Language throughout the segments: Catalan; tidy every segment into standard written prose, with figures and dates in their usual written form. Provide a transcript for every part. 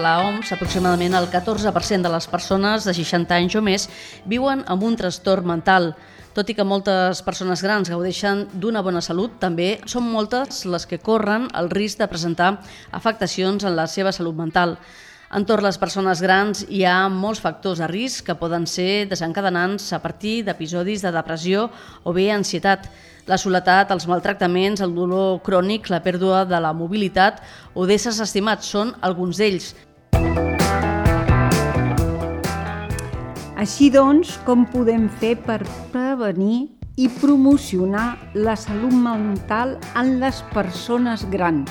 la OMS, aproximadament el 14% de les persones de 60 anys o més viuen amb un trastorn mental. Tot i que moltes persones grans gaudeixen d'una bona salut, també són moltes les que corren el risc de presentar afectacions en la seva salut mental. Entorn les persones grans hi ha molts factors de risc que poden ser desencadenants a partir d'episodis de depressió o bé ansietat. La soledat, els maltractaments, el dolor crònic, la pèrdua de la mobilitat o d'éssers estimats són alguns d'ells. Així doncs, com podem fer per prevenir i promocionar la salut mental en les persones grans?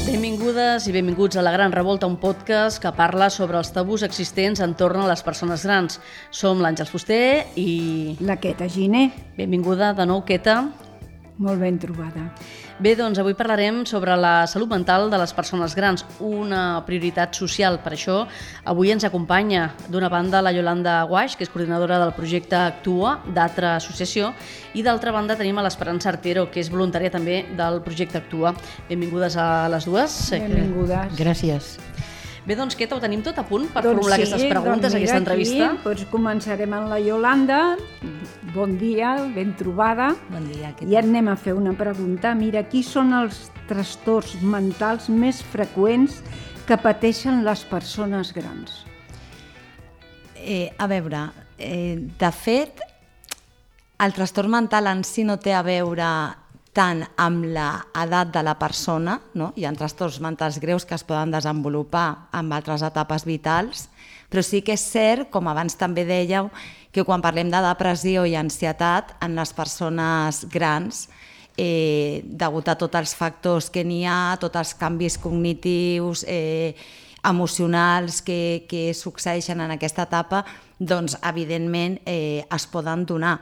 Benvingudes i benvinguts a La Gran Revolta, un podcast que parla sobre els tabús existents entorn a les persones grans. Som l'Àngels Fuster i... la Queta Giner. Benvinguda de nou, Queta. Molt ben trobada. Bé, doncs avui parlarem sobre la salut mental de les persones grans, una prioritat social. Per això, avui ens acompanya d'una banda la Yolanda Guaix, que és coordinadora del projecte Actua, d'Altra Associació, i d'altra banda tenim a l'Esperança Artero, que és voluntària també del projecte Actua. Benvingudes a les dues. Benvingudes. Gràcies. Bé, doncs, Queta, ho tenim tot a punt per formular aquestes preguntes, aquesta entrevista? Doncs començarem amb la Yolanda. Bon dia, ben trobada. Bon dia. I anem a fer una pregunta. Mira, qui són els trastorns mentals més freqüents que pateixen les persones grans? A veure, de fet, el trastorn mental en si no té a veure tant amb l'edat de la persona, no? Hi ha trastorns mentals greus que es poden desenvolupar en altres etapes vitals, però sí que és cert, com abans també dèieu, que quan parlem de depressió i ansietat en les persones grans, degut a tots els factors que n'hi ha, tots els canvis cognitius, emocionals que succeeixen en aquesta etapa, doncs evidentment es poden donar.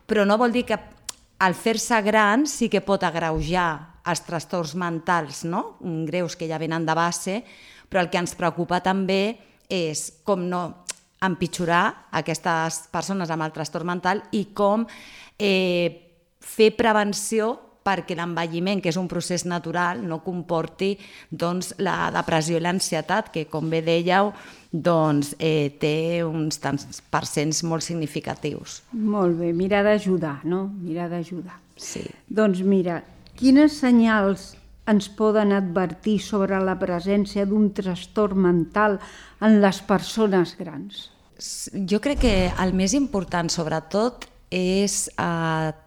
Però no vol dir que al fer-se gran sí que pot agreujar els trastorns mentals, no? Greus que ja venen de base, però el que ens preocupa també és com no empitjorar aquestes persones amb el trastorn mental i com fer prevenció perquè l'envelliment, que és un procés natural, no comporti doncs, la depressió i l'ansietat, que, com bé dèieu, doncs, té uns tants percents molt significatius. Molt bé, mirar d'ajudar, no? Mirar d'ajudar. Sí. Doncs mira, quines senyals ens poden advertir sobre la presència d'un trastorn mental en les persones grans? Jo crec que el més important, sobretot, és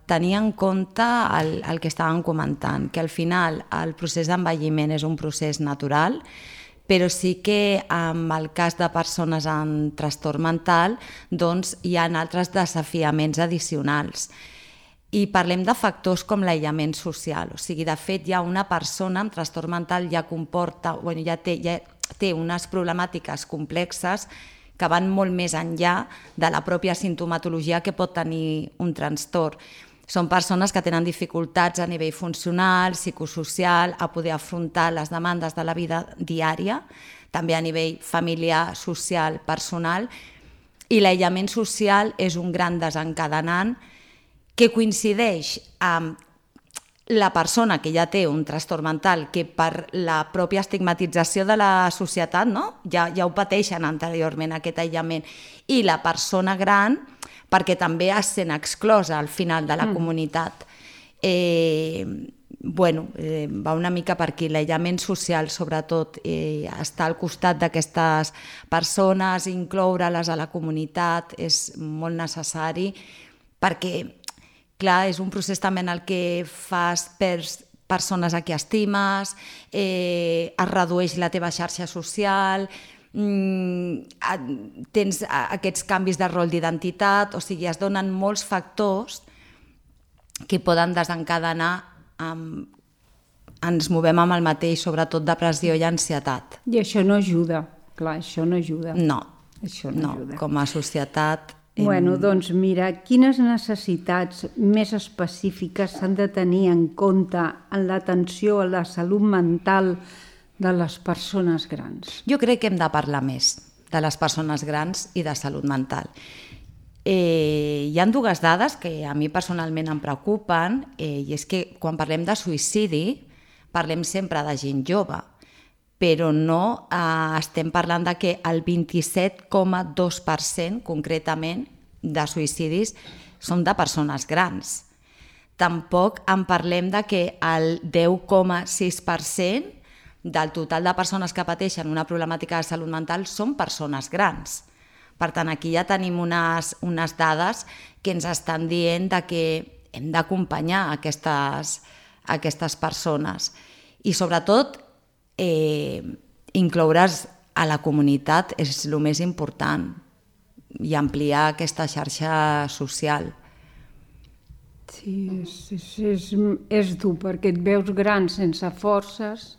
tenir en compte el que estàvem comentant, que al final el procés d'envelliment és un procés natural, però sí que en el cas de persones amb trastorn mental doncs hi ha altres desafiaments addicionals. I parlem de factors com l'aïllament social, o sigui, de fet ja una persona amb trastorn mental ja té unes problemàtiques complexes que van molt més enllà de la pròpia sintomatologia que pot tenir un trastorn. Són persones que tenen dificultats a nivell funcional, psicosocial, a poder afrontar les demandes de la vida diària, també a nivell familiar, social, personal, i l'aïllament social és un gran desencadenant que coincideix amb la persona que ja té un trastorn mental, que per la pròpia estigmatització de la societat, no? ja ho pateixen anteriorment, aquest aïllament, i la persona gran, perquè també es sent exclosa al final de la comunitat. Va una mica per aquí. L'aïllament social, sobretot, estar al costat d'aquestes persones, incloure-les a la comunitat, és molt necessari, perquè clar, és un procés també en el que fas persones a qui estimes, es redueix la teva xarxa social, tens aquests canvis de rol d'identitat, o sigui, es donen molts factors que poden desencadenar, ens movem amb el mateix, sobretot depressió i ansietat. I això no ajuda, clar, això no ajuda. No, això no ajuda. Com a societat... Bueno, doncs mira, quines necessitats més específiques s'han de tenir en compte en l'atenció a la salut mental de les persones grans? Jo crec que hem de parlar més de les persones grans i de salut mental. Hi ha dues dades que a mi personalment em preocupen, i és que quan parlem de suïcidi, parlem sempre de gent jove, però no estem parlant de que el 27,2% concretament de suïcidis són de persones grans. Tampoc en parlem de que el 10,6% del total de persones que pateixen una problemàtica de salut mental són persones grans. Per tant, aquí ja tenim unes dades que ens estan dient que hem d'acompanyar aquestes persones. I sobretot, incloure's a la comunitat és el més important i ampliar aquesta xarxa social. Sí, és dur perquè et veus gran sense forces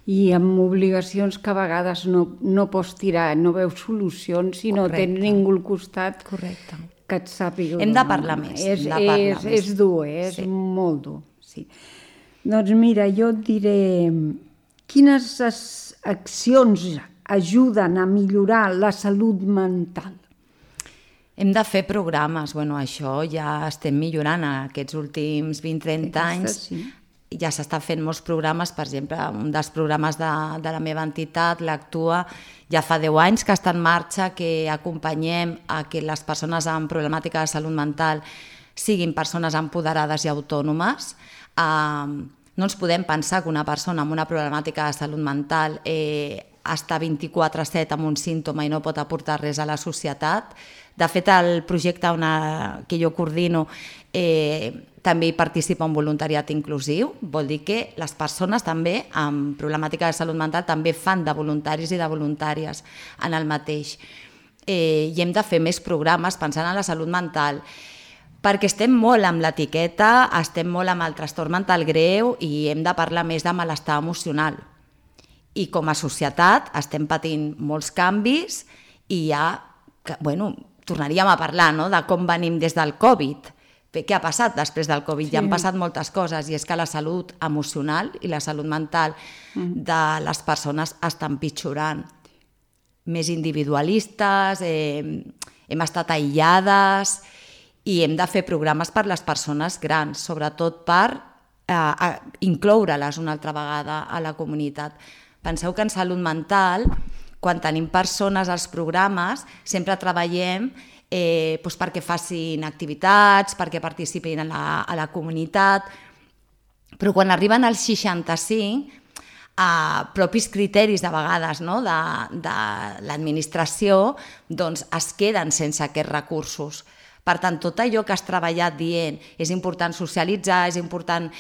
i amb obligacions que a vegades no pots tirar, no veus solucions si no tens ningú al costat que et sàpiga. Hem de parlar més. És dur, és molt dur. Doncs mira, jo et diré quines accions ajuden a millorar la salut mental. Hem de fer programes, això ja estem millorant aquests últims 20-30 anys. Ja s'està fent molts programes, per exemple, un dels programes de la meva entitat, l'Actua, ja fa 10 anys que està en marxa, que acompanyem a que les persones amb problemàtica de salut mental siguin persones empoderades i autònomes. No ens podem pensar que una persona amb una problemàtica de salut mental està 24/7 amb un símptoma i no pot aportar res a la societat. De fet, el projecte que jo coordino també hi participa un voluntariat inclusiu, vol dir que les persones també amb problemàtica de salut mental també fan de voluntaris i de voluntàries en el mateix. I hem de fer més programes pensant en la salut mental, perquè estem molt amb l'etiqueta, estem molt amb el trastorn mental greu i hem de parlar més de malestar emocional. I com a societat estem patint molts canvis i tornaríem a parlar de com venim des del Covid. Què ha passat després del Covid? Ja han passat moltes coses i és que la salut emocional i la salut mental de les persones estan pitjorant. Més individualistes, hem estat aïllades i hem de fer programes per les persones grans, sobretot per incloure-les una altra vegada a la comunitat. Penseu que en salut mental, quan tenim persones als programes, sempre treballem perquè facin activitats, perquè participin a la comunitat, però quan arriben als 65, propis criteris de vegades de l'administració es queden sense aquests recursos. Per tant, tot allò que has treballat dient és important socialitzar, és important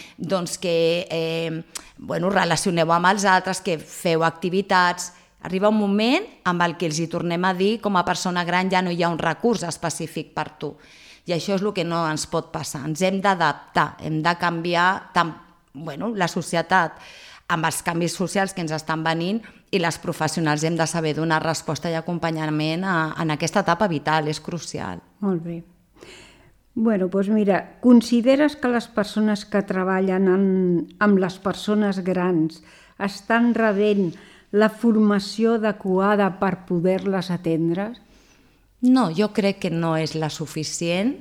que relacioneu amb els altres, que feu activitats. Arriba un moment amb el que els hi tornem a dir com a persona gran ja no hi ha un recurs específic per tu. I això és el que no ens pot passar. Ens hem d'adaptar, hem de canviar la societat amb els canvis socials que ens estan venint i les professionals hem de saber donar resposta i acompanyament en aquesta etapa vital, és crucial. Molt bé. Doncs mira, consideres que les persones que treballen amb les persones grans estan rebent la formació adequada per poder-les atendre? No, jo crec que no és la suficient.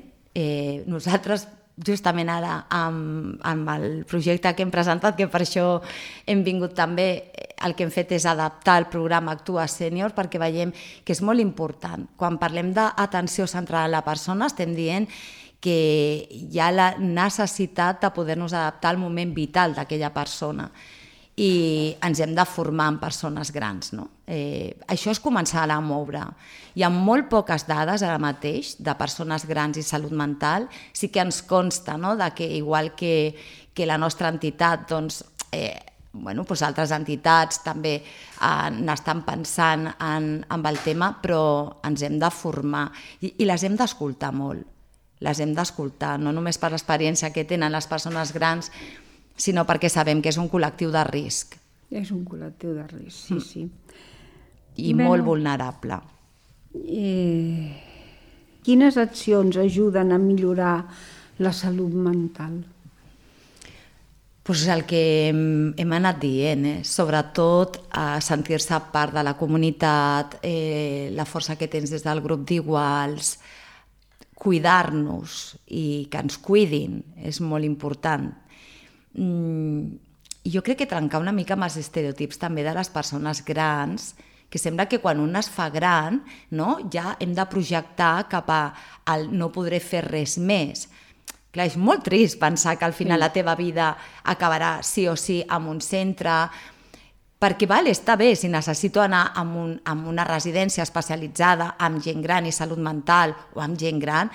Nosaltres, justament ara, amb el projecte que hem presentat, que per això hem vingut també, el que hem fet és adaptar el programa Actua Sènior perquè veiem que és molt important. Quan parlem d'atenció centrada en la persona, estem dient que hi ha la necessitat de poder-nos adaptar al moment vital d'aquella persona i ens hem de formar en persones grans. Això és començar a moure. Hi ha molt poques dades ara mateix de persones grans i salut mental. Sí que ens consta que igual que la nostra entitat, altres entitats també n'estan pensant en el tema, però ens hem de formar i les hem d'escoltar molt. Les hem d'escoltar, no només per l'experiència que tenen les persones grans, sinó perquè sabem que és un col·lectiu de risc. És un col·lectiu de risc, sí. I molt vulnerable. Quines accions ajuden a millorar la salut mental? Doncs el que hem anat dient, sobretot a sentir-se part de la comunitat, la força que tens des del grup d'iguals, cuidar-nos i que ens cuidin és molt important. jo crec que trencar una mica amb els estereotips també de les persones grans, que sembla que quan un es fa gran, no, ja hem de projectar cap al no podré fer res més. Clar, és molt trist pensar que al final la teva vida acabarà sí o sí en un centre, perquè està bé, si necessito anar a una residència especialitzada amb gent gran i salut mental o amb gent gran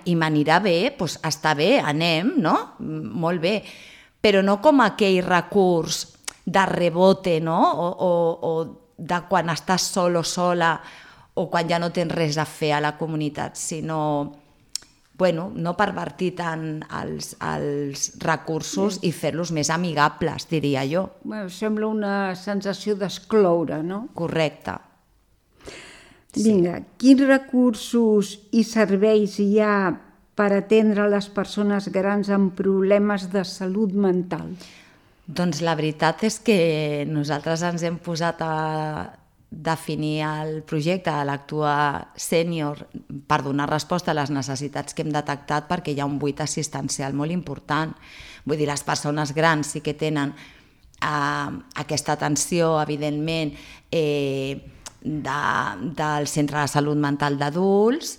i m'anirà bé, doncs està bé, anem, no? Molt bé. Però no com aquell recurs de rebote, no? O de quan estàs sol o sola o quan ja no tens res a fer a la comunitat, sinó no pervertir tant els recursos i fer-los més amigables, diria jo. Sembla una sensació d'excloure, no? Correcte. Vinga, quins recursos i serveis hi ha per atendre les persones grans amb problemes de salut mental? Doncs la veritat és que nosaltres ens hem posat a definir el projecte de l'Actua Sènior per donar resposta a les necessitats que hem detectat, perquè hi ha un buit assistencial molt important. Vull dir, les persones grans sí que tenen aquesta atenció, evidentment, del Centre de Salut Mental d'Adults,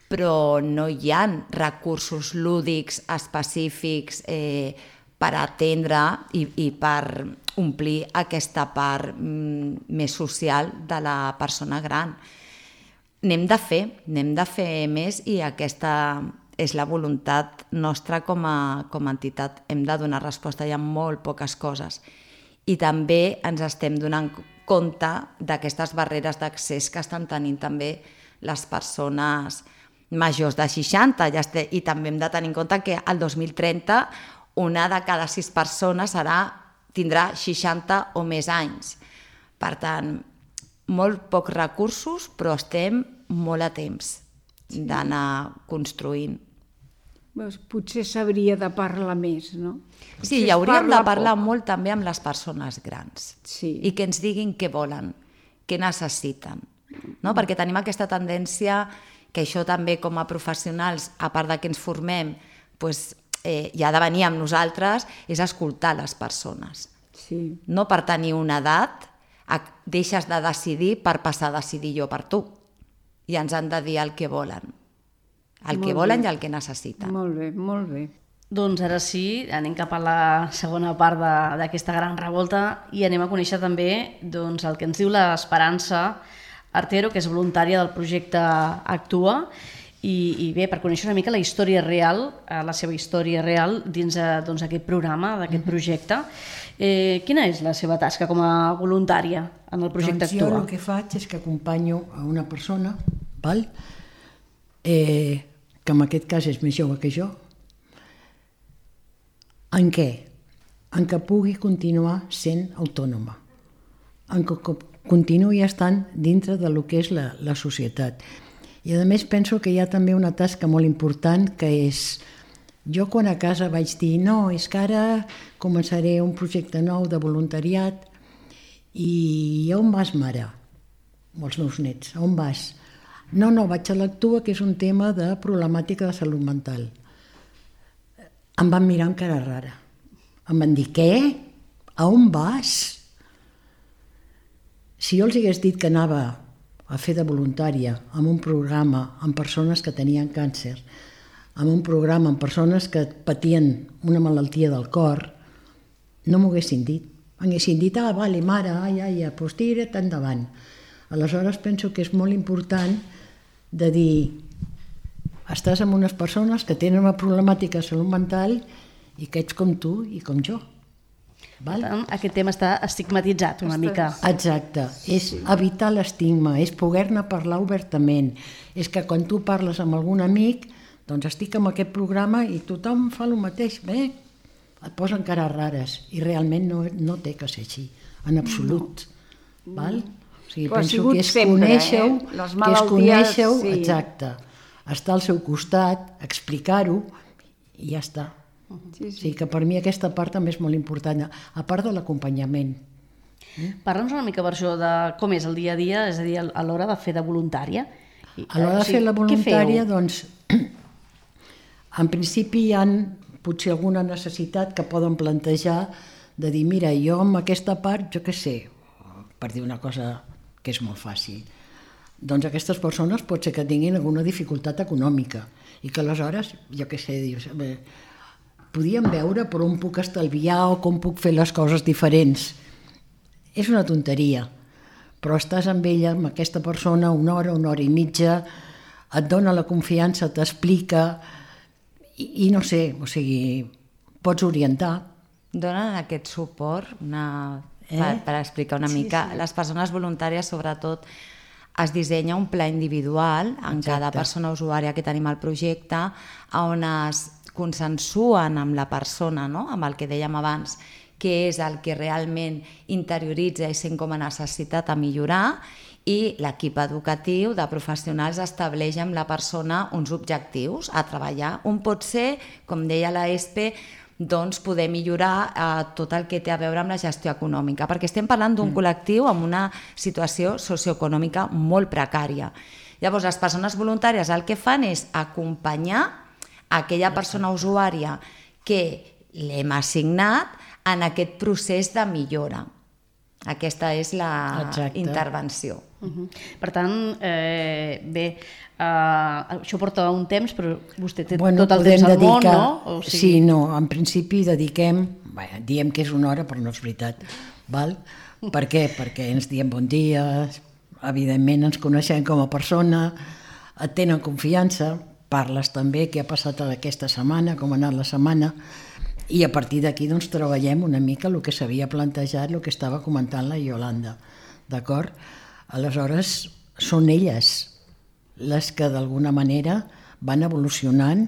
però no hi ha recursos lúdics específics per atendre i per omplir aquesta part més social de la persona gran. N'hem de fer més i aquesta és la voluntat nostra com a entitat. Hem de donar resposta a molt poques coses i també ens estem donant compte d'aquestes barreres d'accés que estan tenint també les persones majors de 60 i també hem de tenir en compte que el 2030 una de cada 6 persones tindrà 60 o més anys. Per tant, molt pocs recursos, però estem molt a temps d'anar construint. Potser s'hauria de parlar més, no? Sí, i hauríem de parlar molt també amb les persones grans i que ens diguin què volen, què necessiten. Perquè tenim aquesta tendència que això també com a professionals, a part de que ens formem, i ha de venir amb nosaltres, és escoltar les persones. No per tenir una edat deixes de decidir per passar a decidir jo per tu. I ens han de dir el que volen. El que volen i el que necessiten. Molt bé, molt bé. Doncs ara sí, anem cap a la segona part d'aquesta gran revolta i anem a conèixer també el que ens diu l'Esperança Artero, que és voluntària del projecte Actua. I bé, per conèixer una mica la història real, la seva història real dins d'aquest programa, d'aquest projecte. Quina és la seva tasca com a voluntària en el projecte Actua? Jo el que faig és que acompanyo a una persona, que en aquest cas és més jove que jo. En què? En que pugui continuar sent autònoma, en que continuï estant dintre del que és la societat. I a més penso que hi ha també una tasca molt important que és, jo quan a casa vaig dir no, és que ara començaré un projecte nou de voluntariat i on vas, mare? Amb els meus nets, on vas? No, vaig a l'Actua, que és un tema de problemàtica de salut mental. Em van mirar amb cara rara. Em van dir, què? A on vas? Si jo els hagués dit que anava a fer de voluntària en un programa amb persones que tenien càncer, en un programa amb persones que patien una malaltia del cor, no m'ho haguessin dit. M'haguessin dit, vale, mare, doncs tira't endavant. Aleshores penso que és molt important de dir, estàs amb unes persones que tenen una problemàtica de salut mental i que ets com tu i com jo. Per tant, aquest tema està estigmatitzat una mica. Exacte, és evitar l'estigma, és poder-ne parlar obertament. És que quan tu parles amb algun amic, doncs estic en aquest programa i tothom fa el mateix, et posen cares rares i realment no té que ser així, en absolut. O sigui, penso que és conèixer-ho, exacte, estar al seu costat, explicar-ho i ja està. O sigui que per mi aquesta part també és molt important, a part de l'acompanyament. Parla'ns una mica per això de com és el dia a dia, és a dir, a l'hora de fer de voluntària. A l'hora de fer la voluntària, doncs, en principi hi ha potser alguna necessitat que poden plantejar de dir, mira, jo amb aquesta part, jo què sé, per dir una cosa que és molt fàcil, doncs aquestes persones pot ser que tinguin alguna dificultat econòmica i que aleshores, jo què sé, dius, podíem veure per on puc estalviar o com puc fer les coses diferents. És una tonteria, però estàs amb ella, amb aquesta persona, una hora i mitja, et dona la confiança, t'explica i no sé, o sigui, pots orientar. Donen aquest suport per explicar una mica. Les persones voluntàries, sobretot, es dissenya un pla individual en cada persona usuària que tenim al projecte, on es consensuen amb la persona, no? Amb el que dèiem abans, què és el que realment interioritza i sent com a necessitat a millorar, i l'equip educatiu de professionals estableix amb la persona uns objectius a treballar. Un pot ser, com deia la ESPE, doncs poder millorar tot el que té a veure amb la gestió econòmica, perquè estem parlant d'un col·lectiu amb una situació socioeconòmica molt precària. Llavors, les persones voluntàries el que fan és acompanyar aquella persona usuària que l'hem assignat en aquest procés de millora. Aquesta és la intervenció. Per tant, bé, això porta un temps, però vostè té tot el temps al món, no? Sí, no, en principi dediquem, diem que és una hora, però no és veritat. Per què? Perquè ens diem bon dia, evidentment ens coneixem com a persona, et tenen confiança, parles també què ha passat aquesta setmana, com ha anat la setmana, i a partir d'aquí doncs treballem una mica el que s'havia plantejat, el que estava comentant la Iolanda, d'acord? Aleshores són elles les que d'alguna manera van evolucionant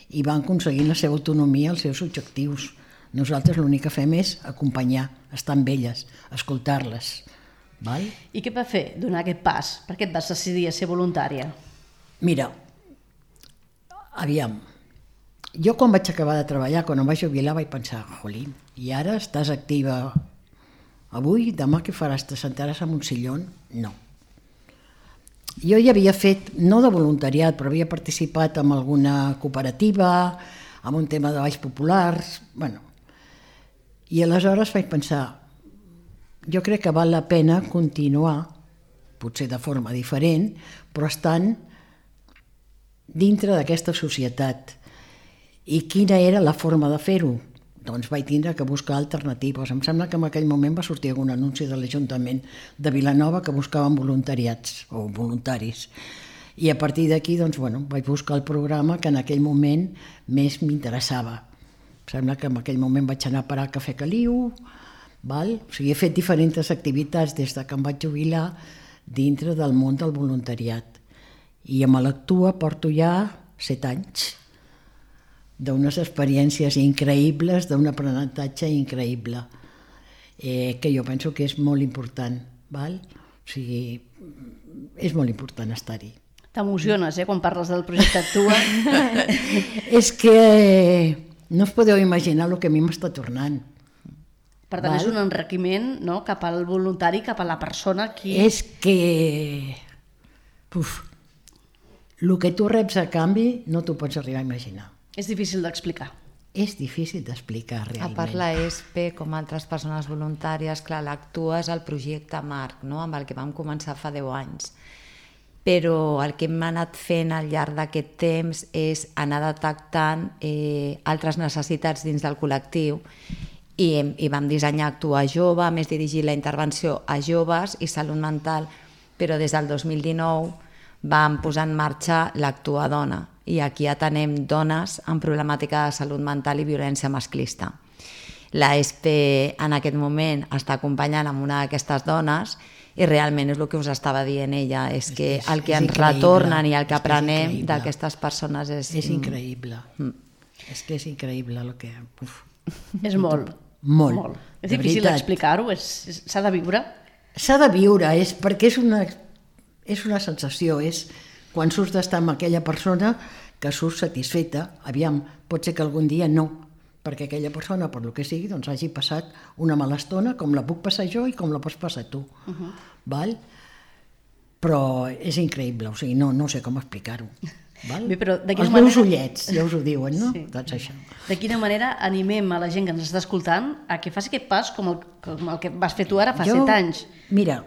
i van aconseguint la seva autonomia, els seus objectius. Nosaltres l'únic que fem és acompanyar, estar amb elles, escoltar-les. I què va fer donar aquest pas? Per què et vas decidir a ser voluntària? Mira, aviam, jo quan vaig acabar de treballar, quan em vaig jubilar, vaig pensar, jolín, i ara estàs activa avui, demà què faràs? Te sentaràs en un sillón? No. Jo ja havia fet, no de voluntariat, però havia participat en alguna cooperativa, en un tema de balls populars, i aleshores vaig pensar, jo crec que val la pena continuar, potser de forma diferent, però estant dintre d'aquesta societat. I quina era la forma de fer-ho? Doncs vaig tindre que buscar alternatives. Em sembla que en aquell moment va sortir algun anunci de l'Ajuntament de Vilanova que buscaven voluntariats o voluntaris. I a partir d'aquí vaig buscar el programa que en aquell moment més m'interessava. Em sembla que en aquell moment vaig anar a parar al Cafè Caliu, o sigui, he fet diferents activitats des que em vaig jubilar dintre del món del voluntariat. I amb l'Actua porto ja 7 anys d'unes experiències increïbles, d'un aprenentatge increïble, que jo penso que és molt important. O sigui, és molt important estar-hi. T'emociones, quan parles del projecte Actua. És que no us podeu imaginar el que a mi m'està tornant. Per tant, és un enriquiment cap al voluntari, cap a la persona que... És que... el que tu reps a canvi no t'ho pots arribar a imaginar. És difícil d'explicar. És difícil d'explicar, realment. A part la ESPE, com altres persones voluntàries, clar, l'Actua és el projecte Marc, amb el que vam començar fa 10 anys. Però el que hem anat fent al llarg d'aquest temps és anar detectant altres necessitats dins del col·lectiu i vam dissenyar Actua Jove, a més dirigir la intervenció a joves i salut mental, però des del 2019 vam posar en marxa l'Actua Dona i aquí atenem dones amb problemàtica de salut mental i violència masclista. La ESPE en aquest moment està acompanyant amb una d'aquestes dones i realment és el que us estava dient ella, és que el que ens retornen i el que aprenem d'aquestes persones és... És increïble. És que és increïble el que... És molt. Molt. És difícil d'explicar-ho, s'ha de viure. S'ha de viure, perquè és una sensació, és quan surts d'estar amb aquella persona que surts satisfeta. Aviam, pot ser que algun dia no, perquè aquella persona, per el que sigui, doncs hagi passat una mala estona, com la puc passar jo i com la pots passar tu. Val? Però és increïble, o sigui, no sé com explicar-ho. Val? Bé, però de quina Els meus manera- ullets, ja us ho diuen, no? Sí. Doncs això. De quina manera animem a la gent que ens està escoltant a que faci aquest pas com el que vas fer tu ara fa 7 anys? Mira,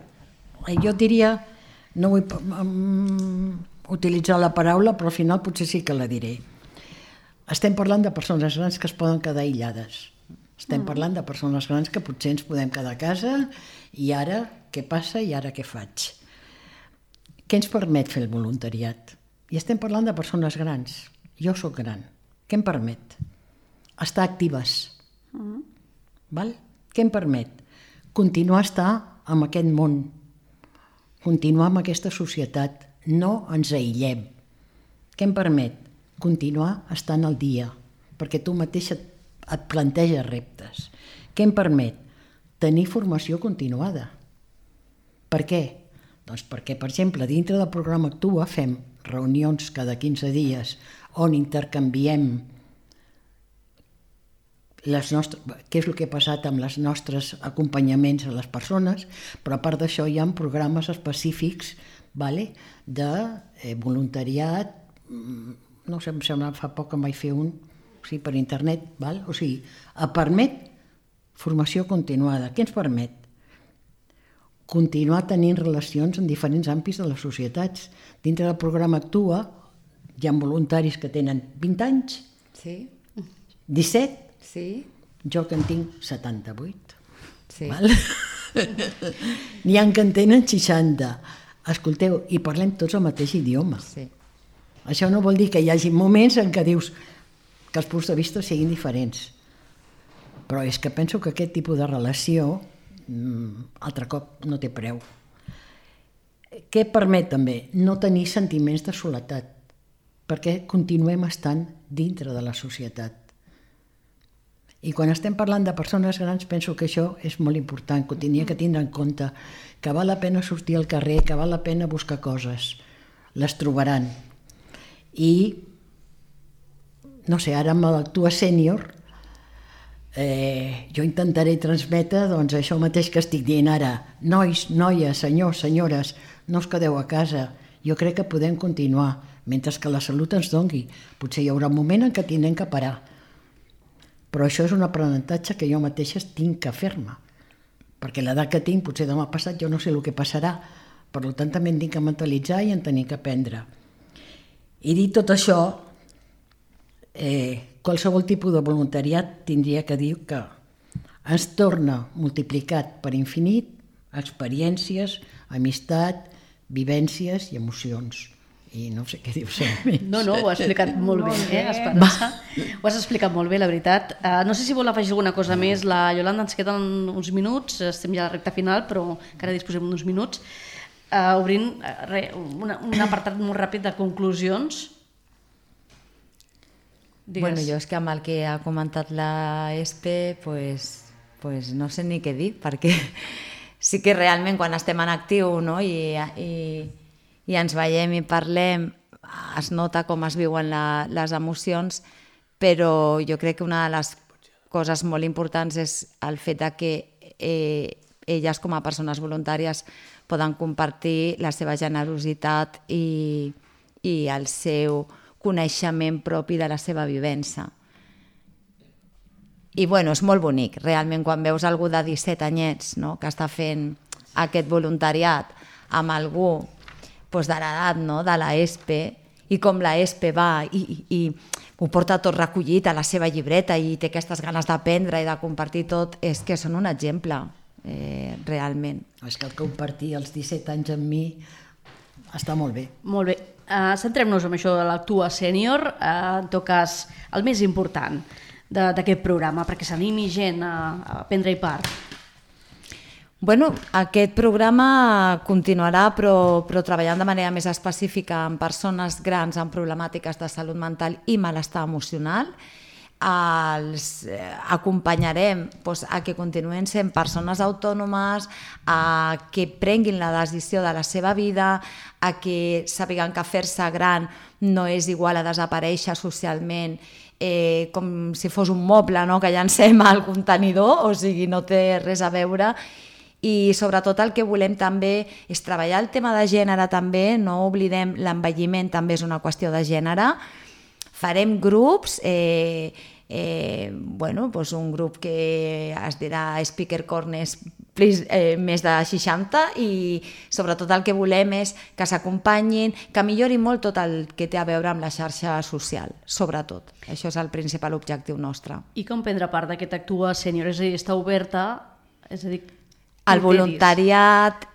jo diria, no vull utilitzar la paraula, però al final potser sí que la diré. Estem parlant de persones grans que es poden quedar aïllades. Estem parlant de persones grans que potser ens podem quedar a casa i ara què passa i ara què faig? Què ens permet fer el voluntariat? I estem parlant de persones grans. Jo sóc gran. Què em permet? Estar actives. Val? Què em permet? Continuar a estar en aquest món. Continuar amb aquesta societat. No ens aïllem. Què em permet? Continuar estant al dia, perquè tu mateixa et planteges reptes. Què em permet? Tenir formació continuada. Per què? Doncs perquè, per exemple, dintre del programa Actua fem reunions cada 15 dies on intercanviem què és el que ha passat amb els nostres acompanyaments a les persones, però a part d'això hi ha programes específics de voluntariat. No sé, em sembla, fa poc que em vaig fer un per internet. O sigui, permet formació continuada. Què ens permet? Continuar tenint relacions en diferents àmbits de les societats. Dintre del programa Actua hi ha voluntaris que tenen 20 anys, Sí, 17, sí, jo que en tinc 78. sí. Val? N'hi ha que en tenen 60. Escolteu, i parlem tots el mateix idioma. Sí. Això no vol dir que hi hagi moments en què dius que els punts de vista siguin diferents. Però és que penso que aquest tipus de relació, altre cop, no té preu. Què permet també? No tenir sentiments de soledat, perquè continuem estant dintre de la societat. I quan estem parlant de persones grans penso que això és molt important, que ho tenia que tindre en compte, que val la pena sortir al carrer, que val la pena buscar coses, les trobaran. I, no sé, ara amb l'Actua Sènior jo intentaré transmetre doncs, això mateix que estic dient ara. Nois, noies, senyors, senyores, no us quedeu a casa. Jo crec que podem continuar, mentre que la salut ens dongui. Potser hi haurà un moment en què tindrem que parar. Però això és un aprenentatge que jo mateixa tinc que fer-me. Perquè l'edat que tinc, potser demà passat, jo no sé el que passarà. Per tant, també en tinc que mentalitzar i en tenir que aprendre. I dit tot això, qualsevol tipus de voluntariat tindria que dir que ens torna multiplicat per infinit experiències, amistat, vivències i emocions. I no sé què dius. No, ho has explicat molt bé, Esperança. Ho has explicat molt bé, la veritat. No sé si vol afegir alguna cosa més. La Iolanda, ens queden uns minuts, estem ja a la recta final, però encara disposem d'uns minuts. Obrint un apartat molt ràpid de conclusions. Digues. Bueno, jo és que amb el que ha comentat la Espe, pues no sé ni què dir, perquè sí que realment quan estem en actiu, no? i ens veiem i parlem, es nota com es viuen les emocions, però jo crec que una de les coses molt importants és el fet de que elles com a persones voluntàries poden compartir la seva generositat i el seu coneixement propi de la seva vivència. I bueno, és molt bonic, realment, quan veus algú de 17 anyets, no?, que està fent aquest voluntariat amb algú doncs, de l'edat, no?, de la ESPE, i com la ESPE va i ho porta tot recollit a la seva llibreta i té aquestes ganes d'aprendre i de compartir tot, és que són un exemple, realment. És que el compartir els 17 anys amb mi està molt bé. Molt bé. Centrem-nos en això de l'Actua Sènior, en tot cas, el més important d'aquest programa, perquè s'animi gent a prendre-hi part. Bueno, aquest programa continuarà, però treballant de manera més específica amb persones grans amb problemàtiques de salut mental i malestar emocional. Els acompanyarem a que continuen sent persones autònomes, a que prenguin la decisió de la seva vida, a que sàpiguen que fer-se gran no és igual a desaparèixer socialment com si fos un moble, no?, que llancem al contenidor, o sigui, no té res a veure, I sobretot el que volem també és treballar el tema de gènere també, no oblidem l'envelliment també és una qüestió de gènere. Farem grups, un grup que es dirà Speaker Corners més de 60 i sobretot el que volem és que s'acompanyin, que millorin molt tot el que té a veure amb la xarxa social, sobretot. Això és el principal objectiu nostre. I com prendre part d'aquest Actua Sènior? És a dir, està oberta? És a dir, el voluntariat,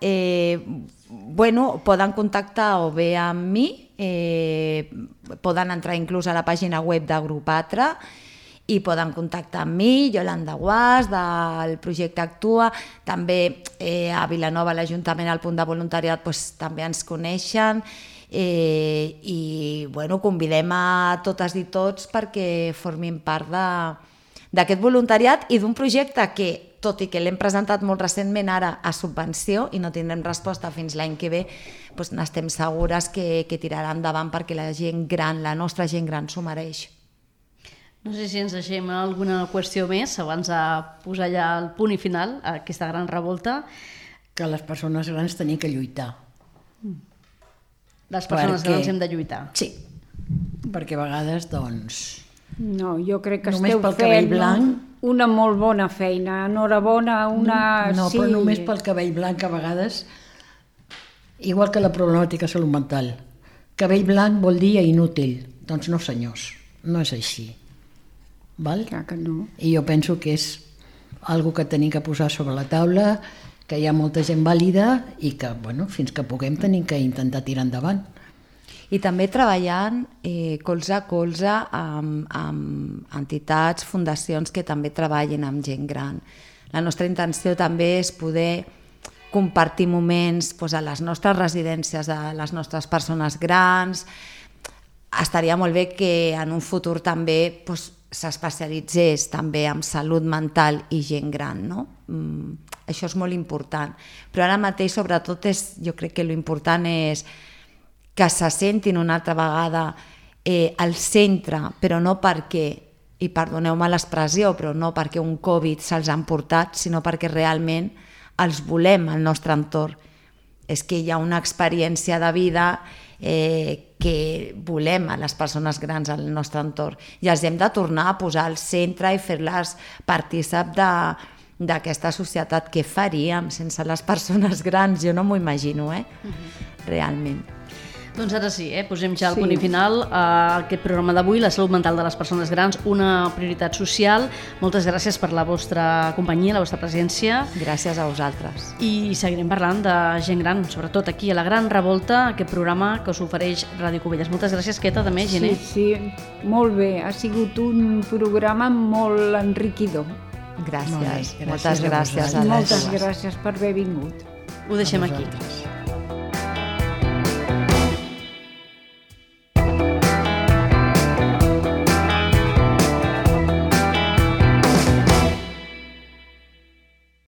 poden contactar o bé amb mi, poden entrar inclús a la pàgina web de Grup Atra i poden contactar amb mi, Yolanda Guas, del projecte Actua. També a Vilanova, l'Ajuntament, al punt de voluntariat, també ens coneixen i convidem a totes i tots perquè formin part d'aquest voluntariat i d'un projecte que, tot i que l'hem presentat molt recentment ara a subvenció i no tindrem resposta fins l'any que ve, n'estem segures que tirarà endavant perquè la gent gran, la nostra gent gran, s'ho mereix. No sé si ens deixem alguna qüestió més abans de posar ja el punt i final a aquesta gran revolta. Que les persones grans tenien que lluitar. Les persones grans hem de lluitar. Sí, perquè a vegades, No, jo crec que només esteu pel cabell fent blanc... una molt bona feina. Enhorabona, No, però només pel cabell blanc a vegades, igual que la problemàtica de salut mental. Cabell blanc vol dir inútil. Doncs no, senyors, no és així. Val? Clar que no. I jo penso que és algo que tenim que posar sobre la taula, que hi ha molta gent vàlida i que, fins que puguem tenim que intentar tirar endavant. I també treballant colze a colze amb entitats, fundacions que també treballin amb gent gran. La nostra intenció també és poder compartir moments a les nostres residències de les nostres persones grans. Estaria molt bé que en un futur també s'especialitzés també en salut mental i gent gran, no? Això és molt important. Però ara mateix, sobretot, jo crec que l'important és que se sentin una altra vegada al centre, però no perquè, i perdoneu-me l'expressió, però no perquè un Covid se'ls ha emportat, sinó perquè realment els volem al nostre entorn. És que hi ha una experiència de vida que volem a les persones grans al nostre entorn i els hem de tornar a posar al centre i fer-les partícip d'aquesta societat. Què faríem sense les persones grans? Jo no m'ho imagino, realment. Doncs ara sí, posem ja el punt i final a aquest programa d'avui, la salut mental de les persones grans, una prioritat social. Moltes gràcies per la vostra companyia, la vostra presència. Gràcies a vosaltres. I seguirem parlant de gent gran, sobretot aquí a La Gran Revolta, aquest programa que us ofereix Ràdio Cubelles. Moltes gràcies, Queta, també, Gené. Sí, molt bé. Ha sigut un programa molt enriquidor. Gràcies. Moltes gràcies. Moltes gràcies per haver vingut. Ho deixem aquí.